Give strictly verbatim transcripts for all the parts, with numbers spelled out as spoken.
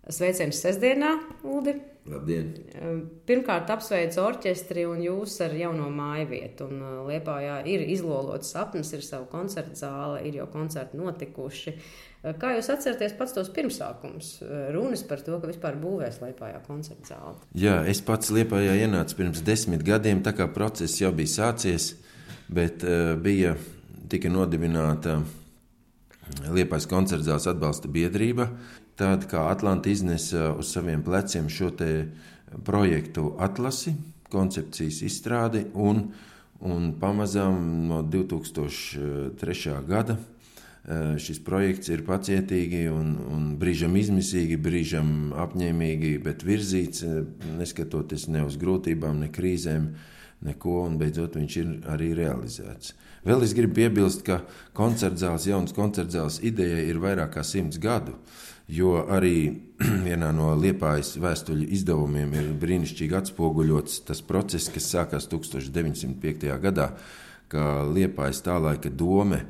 Sveiciens sestdienā, Uldi. Labdien! Pirmkārt apsveicu orķestri un jūs ar jauno mājvietu. Un Liepājā ir izlolots sapnis, ir sava koncerta zāle, ir jau koncerti notikuši. Kā jūs atceraties pats tos pirmsākums? Runas par to, ka vispār būvēs Liepājā koncerta zāle. Jā, es pats Liepājā ienācu pirms desmit gadiem, tā kā process jau bija sācies, bet uh, bija tika nodibināta Liepājas koncerta zāles atbalsta biedrība. Tāda kā Atlanta iznesa uz saviem pleciem šo te projektu atlasi, koncepcijas izstrādi, un, un pamazām no divi tūkstoši trešā gada šis projekts ir pacietīgi un, un brīžam izmisīgi, brīžam apņēmīgi, bet virzīts, neskatoties ne uz grūtībām, ne krīzēm, neko, un beidzot viņš ir arī realizēts. Vēl es gribu piebilst, ka koncertzāles, jaunas koncertzāles ideja ir vairāk kā simts gadu, jo arī vienā no Liepājas vēstuļu izdevumiem ir brīnišķīgi atspoguļots tas process, kas sākās tūkstoš deviņsimt piektajā gadā, ka Liepājas tā laika dome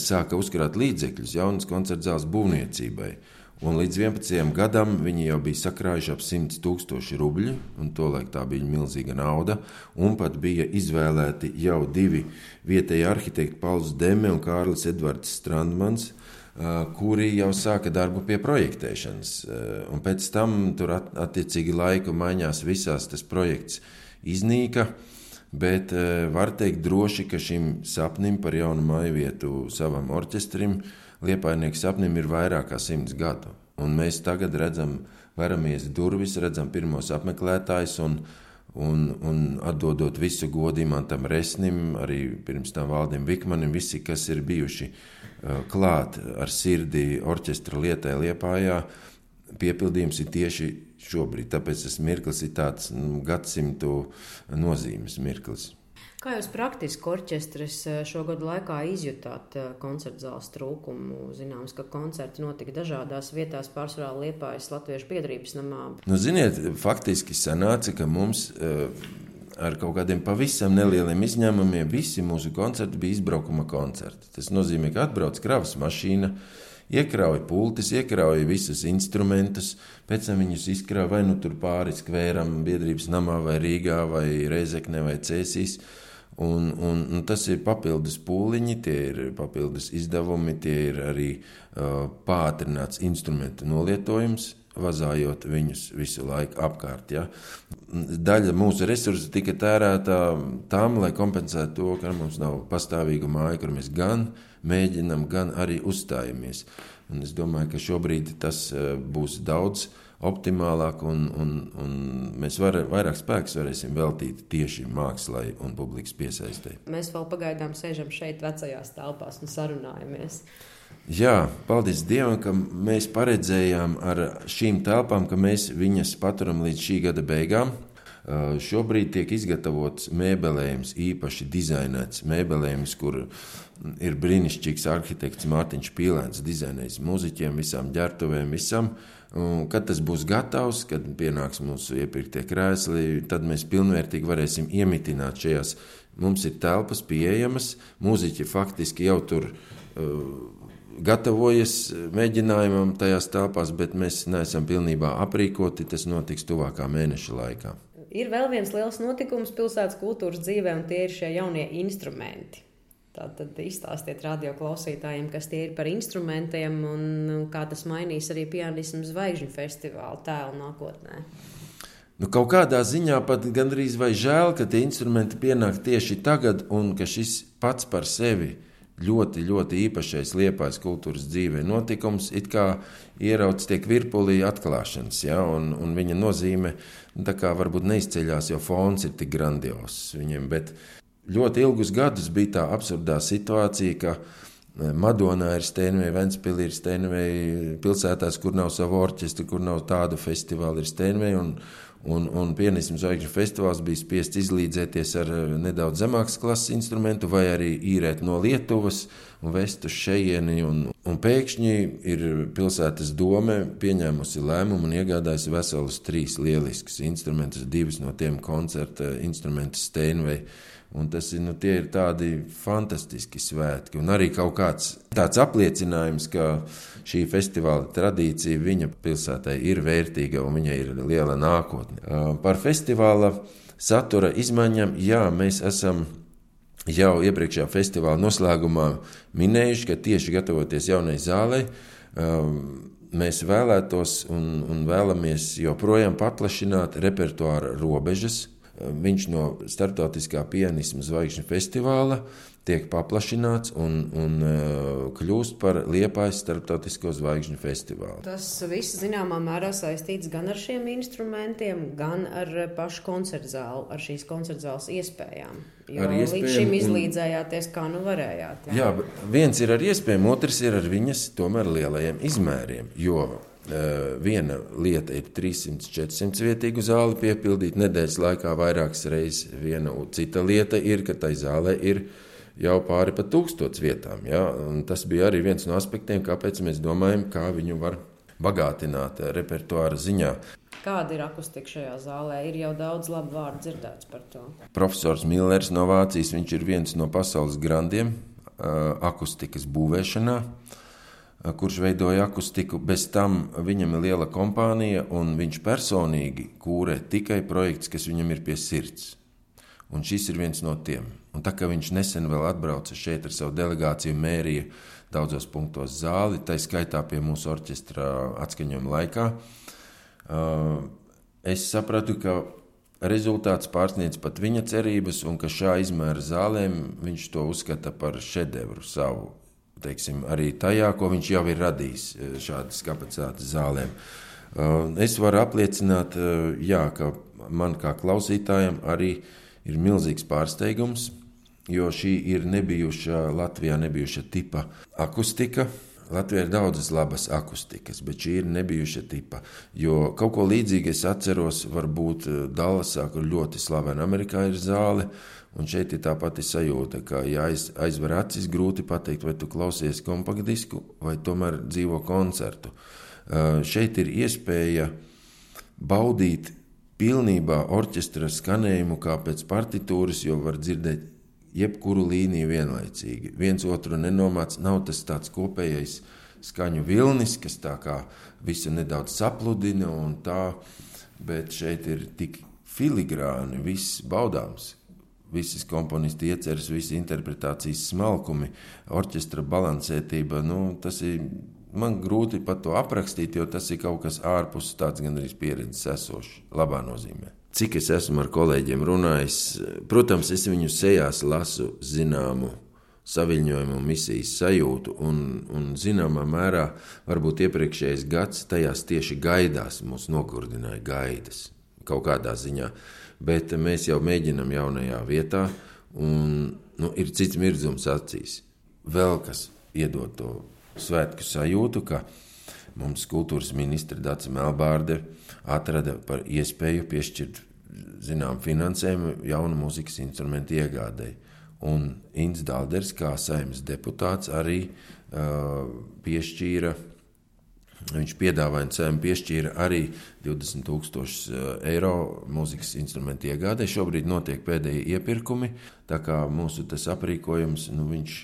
sāka uzkrāt līdzekļus jaunas koncertzāles būvniecībai. Un līdz vienpadsmitajam gadam viņi jau bija sakrājuši ap simts tūkstoši rubļu, un tolaik tā bija milzīga nauda, un pat bija izvēlēti jau divi vietēji arhitekti, Pauls Deme un Kārlis Edvards Strandmans, kuri jau sāka darbu pie projektēšanas. Un pēc tam tur attiecīgi laiku maiņās visās tas projekts iznīka, bet var teikt droši, ka šim sapnim par jaunu mājvietu savam orķestrim, Liepājnieku sapnim ir vairāk kā simts gadu. Un mēs tagad redzam, veramies durvis, redzam pirmos apmeklētājus un, un, un atdodot visu godu Imantam Resnim, arī pirms tam Valdim Vikmanim, visi, kas ir bijuši uh, klāt ar sirdi orķestra lietai Liepājā, piepildījums ir tieši šobrīd. Tāpēc tas mirklis ir tāds nu, gadsimtu nozīmes mirklis. Kā jūs praktiski orķestris šo gadu laikā izjutāt koncertzāles trūkumu? Zināms, ka koncerti notika dažādās vietās, pārsvarā Liepājas Latviešu biedrības namā. Nu, ziniet, faktiski sanāca, ka mums ar kaut kādiem pavisam nelieliem izņēmumiem visi mūsu koncerti bija izbraukuma koncerti. Tas nozīmē, ka atbrauc kravas mašīna, iekrauja pultis, iekrauja visus instrumentus, pēc tam viņus izkrauja vai nu tur pāri skvēram biedrības namā vai Rīgā vai Reizeknē vai Cēsīs. Un, un, un tas ir papildus pūliņi, tie ir papildus izdevumi, tie ir arī uh, pātrināts instrumentu nolietojums, vazājot viņus visu laiku apkārt. Ja. Daļa mūsu resursu tika tērēta tam, lai kompensētu to, ka mums nav pastāvīga māja, kur mēs gan mēģinam, gan arī uzstājamies. Un es domāju, ka šobrīd tas uh, būs daudz optimālāk, un, un, un mēs var, vairāk spēks varēsim veltīt tieši mākslai un publikas piesaistei. Mēs vēl pagaidām sēžam šeit vecajās telpās un sarunājamies. Jā, paldies Dievam, ka mēs paredzējām ar šīm telpām, ka mēs viņas paturam līdz šī gada beigām. Uh, šobrīd tiek izgatavots mēbelējums, īpaši dizainēts mēbelējums, kur ir brīnišķīgs arhitekts Mārtiņš Pīlēns dizainējis muziķiem, visām ģertuvēm, visam. Un, kad tas būs gatavs, kad pienāks mūsu iepirktie krēsli, tad mēs pilnvērtīgi varēsim iemitināt šajās. Mums ir telpas pieejamas, mūziķi faktiski jau tur uh, gatavojas mēģinājumam tajās telpās, bet mēs neesam pilnībā aprīkoti, tas notiks tuvākā mēneša laikā. Ir vēl viens liels notikums pilsētas kultūras dzīvē, un tie ir šie jaunie instrumenti. Tātad izstāstiet radioklausītājiem, kas tie ir par instrumentiem un kā tas mainīs arī pianismu zvaigžņu festivālu tēlu nākotnē. Nu, kaut kādā ziņā pat gandrīz vai žēl, ka tie instrumenti pienāk tieši tagad un ka šis pats par sevi ļoti, ļoti īpašais Liepājas kultūras dzīvē notikums it kā ierauts tiek virpulī atklāšanas, ja, un, un viņa nozīme tā kā varbūt neizceļās, jo fons ir tik grandios viņiem, bet ļoti ilgus gadus bija tā absurdā situācija, ka Madonā ir Steinvei, Ventspilī ir Steinvei, pilsētās, kur nav savu orķestru, kur nav tādu festivālu, ir Steinvei, un, Un, un pianismu zvaigžņu festivāls bija spiests izlīdzēties ar nedaudz zemākas klases instrumentu vai arī īrēt no Lietuvas un vest uz šejieni. Un, un pēkšņi ir pilsētas dome pieņēmusi lēmumu un iegādājusi veselus trīs lieliskus instrumentus, divas no tiem koncerta instrumentus Steinway. Un tas ir, nu, tie ir tādi fantastiski svētki. Un arī kaut kāds tāds apliecinājums, ka šī festivāla tradīcija viņa pilsētai ir vērtīga un viņai ir liela nākotne. Par festivāla satura izmaiņām, jā, mēs esam jau iepriekšējā festivāla noslēgumā minējuši, ka tieši gatavoties jaunai zālei, mēs vēlētos un, un vēlamies joprojām paplašināt repertuāra robežas. Viņš no Startautiskā pianisma zvaigžņu festivāla tiek paplašināts un, un kļūst par Liepājas Startautisko zvaigžņu festivālu. Tas viss zināmā mērā saistīts gan ar šiem instrumentiem, gan ar pašu koncertzālu, ar šīs koncertzāles iespējām. Jo līdz šim izlīdzējāties, kā nu varējāt. Jā, jā viens ir ar iespējām, otrs ir ar viņas tomēr lielajiem izmēriem, jo Uh, viena lieta ir trīssimts četrsimt vietīgu zāli piepildīt nedēļas laikā vairākas reizes. Viena cita lieta ir, ka tai zālē ir jau pāri pa tūkstots vietām. Ja? Un tas bija arī viens no aspektiem, kāpēc mēs domājam, kā viņu var bagātināt repertuāra ziņā. Kāda ir akustika šajā zālē? Ir jau daudz labu vārdu dzirdēts par to. Profesors Millers no Vācijas, viņš ir viens no pasaules grandiem uh, akustikas būvēšanā, kurš veidoja akustiku. Bez tam viņam ir liela kompānija, un viņš personīgi kūrē tikai projekts, kas viņam ir pie sirds. Un šis ir viens no tiem. Un tā kā viņš nesen vēl atbrauca šeit ar savu delegāciju, mērīja daudzos punktos zāli, tā skaitā pie mūsu orķestra atskaņojuma laikā, es sapratu, ka rezultāts pārsniedz pat viņa cerības, un ka šā izmēra zālēm viņš to uzskata par šedevru savu. Teiksim, arī tajā, ko viņš jau ir radījis šādas kapacitātes zālēm. Es varu apliecināt, jā, ka man kā klausītājam arī ir milzīgs pārsteigums, jo šī ir nebijuša, Latvijā nebijuša tipa akustika. Latvijā ir daudzas labas akustikas, bet šī ir nebijuša tipa, jo kaut ko līdzīgi es atceros, varbūt Dallasā, kur ļoti slavena Amerikā ir zāle, un šeit ir tā pati sajūta, ka ja aiz, aizver acis, grūti pateikt, vai tu klausies kompaktdisku vai tomēr dzīvo koncertu. Uh, šeit ir iespēja baudīt pilnībā orķestra skanējumu kā pēc partitūras, jo var dzirdēt jebkuru līniju vienlaicīgi. Viens otru nenomāc, nav tas tāds kopējais skaņu vilnis, kas tā kā visu nedaudz sapludina un tā, bet šeit ir tik filigrāni, viss baudāms. Visas komponisti ieceras, visi interpretācijas smalkumi, orķestra balansētība, nu, tas ir, man grūti pat to aprakstīt, jo tas ir kaut kas ārpus tāds gandrīz pieredzes esošs, labā nozīmē. Cik es esmu ar kolēģiem runājis, protams, es viņu sejās lasu zināmu saviņojumu un misijas sajūtu, un, un zināmā mērā varbūt iepriekšējais gads tajās tieši gaidās mūs nogurdināja gaidas kaut kādā ziņā. Bet mēs jau mēģinam jaunajā vietā, un nu, ir cits mirdzums acīs. Vēl kas iedod to svētku sajūtu, ka mums kultūras ministra Dace Melbārde atrada par iespēju piešķirt zinām finansējumu jaunu mūzikas instrumentu iegādei. Un Ints Dalders, kā Saeimas deputāts, arī uh, piešķīra Viņš piedāvāja un Saeima piešķīra arī divdesmit tūkstošus eiro mūzikas instrumentu iegādē. Šobrīd notiek pēdējie iepirkumi, tā kā mūsu tas aprīkojums, nu, viņš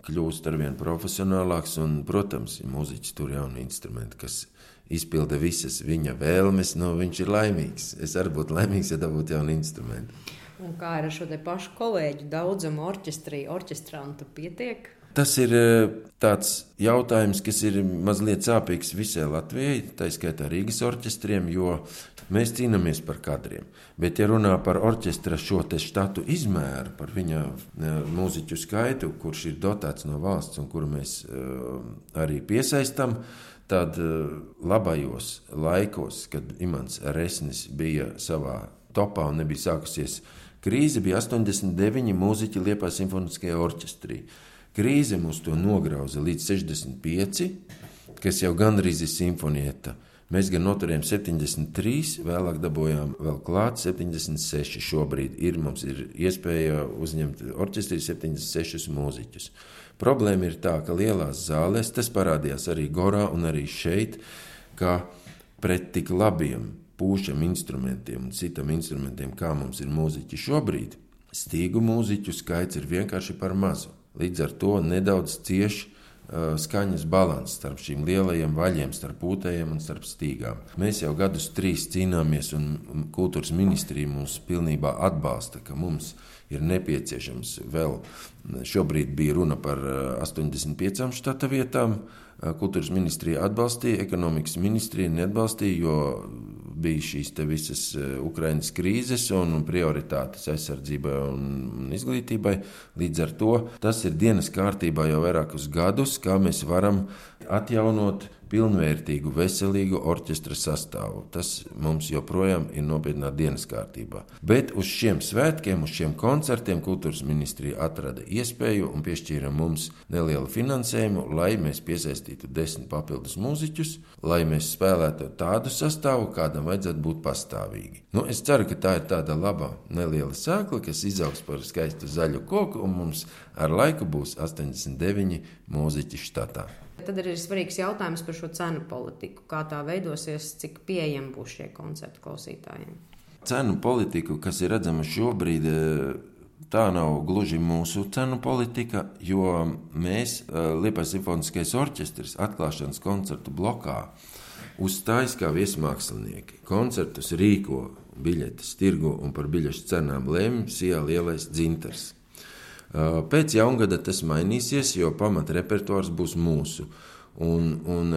kļūst arvien profesionālāks, un, protams, ja mūziķis tur jauni instrumenti, kas izpilda visas viņa vēlmes, nu, viņš ir laimīgs. Es arī būtu laimīgs, ja dabūtu jauni instrumenti. Un kā ir ar šo te pašu kolēģu daudzumu orķestrī, orķestrantu pietiek? Tas ir tāds jautājums, kas ir mazliet sāpīgs visai Latvijai, tā skaitā Rīgas orķestriem, jo mēs cīnāmies par kadriem. Bet, ja runā par orķestra šo te štatu izmēru, par viņa mūziķu skaitu, kurš ir dotēts no valsts un kuru mēs arī piesaistam, tad labajos laikos, kad Imants Resnis bija savā topā un nebija sākusies krīze, bija astoņdesmit deviņi mūziķi Liepājas simfoniskajā orķestrī. Krīze mūs to nograuza līdz sešdesmit pieci, kas jau gandrīz ir simfonieta, Mēs gan noturējām septiņdesmit trīs, vēlāk dabūjām vēl klāt septiņdesmit seši. Šobrīd ir, mums ir iespēja uzņemt orķestrī septiņdesmit sešus mūziķus. Problēma ir tā, ka lielās zālēs, tas parādījās arī Gorā un arī šeit, ka pret tik labiem pūšam instrumentiem un citam instrumentiem, kā mums ir mūziķi šobrīd, stīgu mūziķu skaits ir vienkārši par mazu. Līdz ar to nedaudz cieši skaņas balans starp šīm lielajiem vaļiem, starp pūtējiem un starp stīgām. Mēs jau gadus trīs cīnāmies, un kultūras ministrija mūs pilnībā atbalsta, ka mums ir nepieciešams vēl, šobrīd bija runa par astoņdesmit piecām štata vietām, kultūras ministrija atbalstīja, ekonomikas ministrija neatbalstīja, jo bija šīs te visas Ukrainas krīzes un prioritātes aizsardzībai un izglītībai. Līdz ar to tas ir dienas kārtībā jau vairākus gadus, kā mēs varam atjaunot pilnvērtīgu, veselīgu orķestra sastāvu. Tas mums joprojām ir nopietnā dienas kārtībā. Bet uz šiem svētkiem, uz šiem koncertiem kultūras ministrija atrada iespēju un piešķīra mums nelielu finansējumu, lai mēs piesaistītu desmit papildus mūziķus, lai mēs spēlētu tādu sastāvu, kādam vajadzētu būt pastāvīgi. Nu, es ceru, ka tā ir tāda laba neliela sēkla, kas izaugs par skaistu zaļu koku, un mums ar laiku būs astoņdesmit deviņi mūziķi štatā. Tad ir svarīgs jautājums par šo cenu politiku. Kā tā veidosies, cik pieejami būs šie koncerti klausītājiem? Cenu politiku, kas ir redzama šobrīd, tā nav gluži mūsu cenu politika, jo mēs, Liepājas simfoniskais orķestris, atklāšanas koncertu blokā uzstājas kā viesmākslinieki. Koncertus rīko, biļetes tirgo un par biļešu cenām lēma Sijā lielais dzintars. Pēc jaungada tas mainīsies, jo pamat repertuārs būs mūsu. Un, un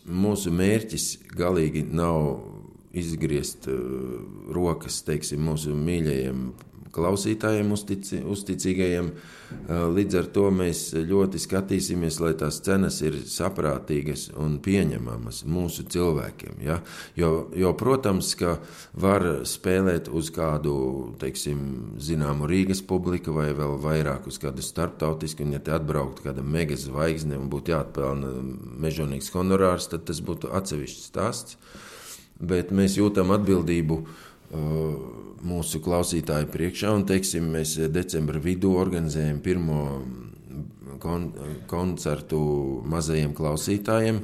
mūsu mērķis galīgi nav izgriezt rokas, teiksim, mūsu mīļajiem klausītājiem, uztici, uzticīgajiem. Līdz ar to mēs ļoti skatīsimies, lai tās cenas ir saprātīgas un pieņemamas mūsu cilvēkiem. Ja? Jo, jo, protams, ka var spēlēt uz kādu, teiksim, zināmu Rīgas publiku vai vēl vairāk uz kādu starptautisku, un ja te atbrauktu kāda mega zvaigzne un būtu jāatpelna mežonīgs honorārs, tad tas būtu atsevišķs stāsts. Bet mēs jūtam atbildību mūsu klausītāju priekšā, un, teiksim, mēs decembra vidū organizējam pirmo kon- koncertu mazajiem klausītājiem,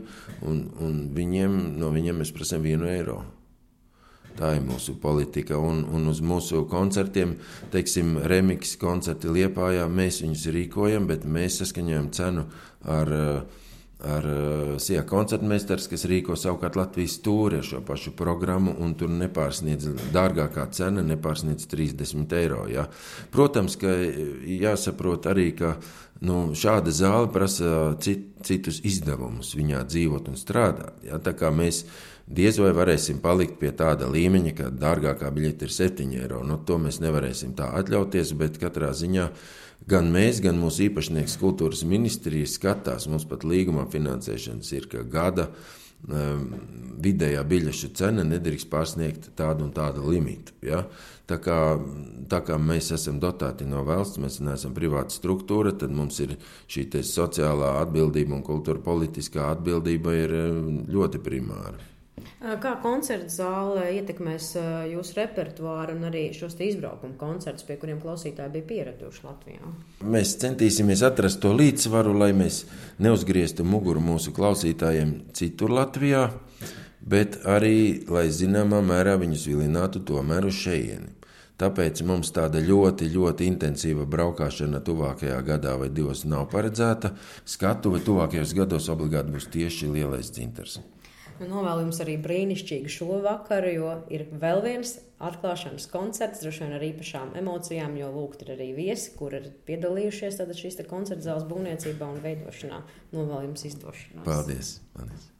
un, un viņiem, no viņiem mēs prasām vienu eiro. Tā ir mūsu politika, un, un uz mūsu koncertiem, teiksim, remix koncerti Liepājā, mēs viņus rīkojam, bet mēs saskaņojam cenu ar ar Sijā koncertmeistars, kas rīko savukārt Latvijas tūri ar šo pašu programmu, un tur nepārsniedz, dārgākā cena nepārsniedz trīsdesmit eiro. Ja. Protams, ka jāsaprot arī, ka nu, šāda zāle prasa cit, citus izdevumus viņā dzīvot un strādāt. Ja. Tā kā mēs diez vai varēsim palikt pie tāda līmeņa, ka dārgākā biļete ir septiņi eiro. Nu, to mēs nevarēsim tā atļauties, bet katrā ziņā gan mēs, gan mūsu īpašnieks kultūras ministrija skatās, mums pat līgumā finansēšanas ir, ka gada um, vidējā biļešu cena nedrīkst pārsniegt tādu un tādu limitu. Ja? Tā, kā, tā kā mēs esam dotēti no valsts, mēs neesam privāta struktūra, tad mums ir šī te sociālā atbildība un kultūra politiskā atbildība ir ļoti primāra. Kā koncerta zāle ietekmēs jūsu repertuāru un arī šos izbraukumu koncertus, pie kuriem klausītāji bija pieraduši Latvijā? Mēs centīsimies atrast to līdzsvaru, lai mēs neuzgrieztu muguru mūsu klausītājiem citur Latvijā, bet arī, lai zināmā mērā viņus vilinātu tomēr uz šejieni. Tāpēc mums tāda ļoti, ļoti intensīva braukšana tuvākajā gadā vai divos nav paredzēta. Skatuve tuvākajos gados obligāti būs tieši lielais dzintars. Novēlu jums arī brīnišķīgu šo vakaru, jo ir vēl viens atklāšanas koncerts, droši vien ar īpašām emocijām, jo lūgt ir arī viesi, kur ir piedalījušies šīs koncerta zāles būvniecībā un veidošanā. Novēlu jums izdošanos. Paldies! Paldies.